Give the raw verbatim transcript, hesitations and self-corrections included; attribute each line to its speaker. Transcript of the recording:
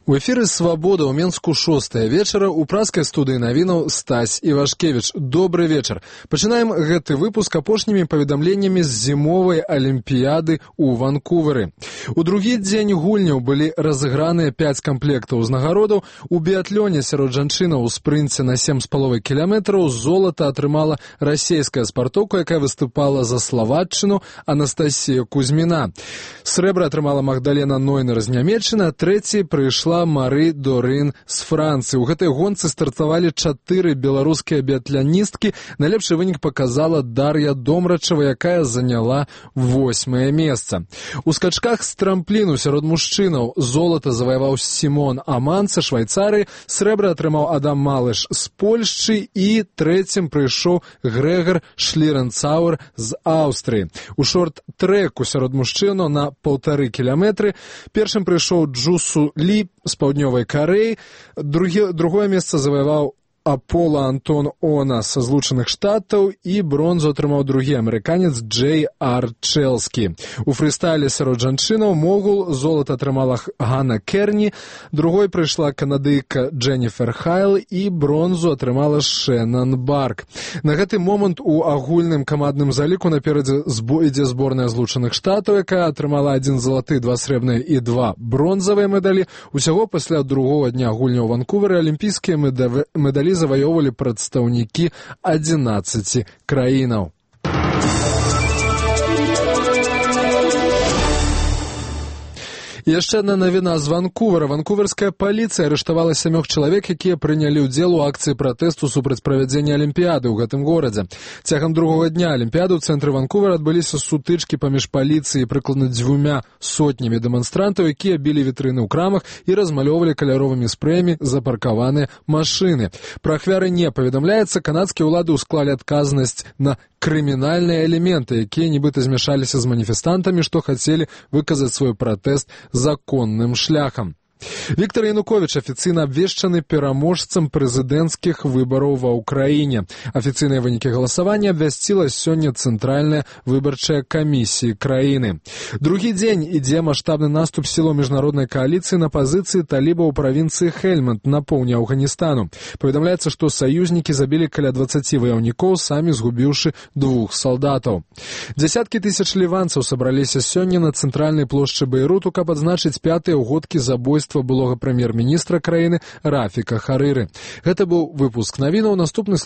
Speaker 1: У эфіры «Свабода» ў Менску шостая вечара ў праскай студыі навінаў Стась Івашкевіч. Добры вечар. Пачынаем гэты выпуск апошнімі паведамленнямі з зімовай алімпіяды ў Ванкувары. У другі дзень гульняў былі разыграныя пяць камплектаў узнагародаў. У біятлёне сярод жанчынаў у спрынце на сем з паловай кіламетраў золата атрымала расейская спартоўка, якая выступала за Славатчыну, Анастасія Кузьміна. Срэбра атрымала Магдалена Нойнер з Нямецчыны, а трэцяй прыйшла Мары Дорын з Францыі. У гэтай гонцы стартавалі чатыры беларускія біятляністкі. Найлепшы вынік паказала Дар'я Домрачева, якая заняла восьмае месца. У скачках з трампліну сярод мужчынаў золата заваяваў Сімон Аман са Швайцарыі, срэбра атрымаў Адам Малыш з Польшчы і трэцім прыйшоў Грэгар Шліренцауэр з Аўстрыі. У шорт-трэку сярод мужчынаў на паўтары кіламетры першым прыйшоў Джусу Лі з паўднёвай Карэі, другі, другое месца заваяваў Апола Антон Она са Злучаных Штатаў і бронзу атрымаў другі амерыканец Джей Ар Чэлскі. У фрыстайле сярод жанчынаў могул золата атрымала Ганна Керні, другой прыйшла канадыйка Дженніфер Хайл і бронзу атрымала Шэнан Барк. На гэты момант у агульным камандным заліку наперадзе ідзе зборная Злучаных Штатаў, якая атрымала адзін залаты, два срэбныя і два бронзавыя медалі. Усяго пасля другога дня гульняў у Ванкувары алімпійскія медалі заваёвалі прадстаўнікі адзінаццаці краінаў. Яшчэ адна навіна з Ванкувара. Ванкуверская паліцыя арыштавала сямёх чалавек, якія прынялі ўдзел у акцыі пратэсту супраць правядзення алімпіяды ў гэтым горадзе. Цягам другога дня алімпіяды ў цэнтры Ванкувара адбыліся сутычкі паміж паліцыяй і прыкладна дзвюмя сотнямі дэманстрантаў, якія білі вітрыны ў крамах і размалёвалі каляровымі спрэямі запаркаваныя машыны. Пра ахвяры не паведамляецца. Канадскія ўлады ўсклалі адказнасць на крымінальныя элементы, якія нібыта змяшаліся з маніфестантамі, што хацелі выказаць свой пратэст законным шляхам. Віктор Януковіч афіцыйна абвешчаны пераможцам прэзідэнцкіх выбараў ва ўкраіне. Афіцыйныя вынікі галасавання абвясціла сёння Цэнтральная выбарчая камісія краіны. Другі дзень ідзе маштабны наступ сілаў міжнароднай кааліцыі на пазіцыі талібаў у правінцыі Хельманд на поўдні Афганістану. Паведамляецца, што саюзнікі забілі каля дваццаці ваяўнікоў, самі згубіўшы двух салдатаў. Дзясяткі тысяч ліванцаў сабраліся сёння на цэнтральнай плошчы Бейруту, каб адзначыць пятыя ўгодкі забойства былога прэм'ер-міністра краіны Рафіка Харыры. Гэта быў выпуск навінаў. Наступны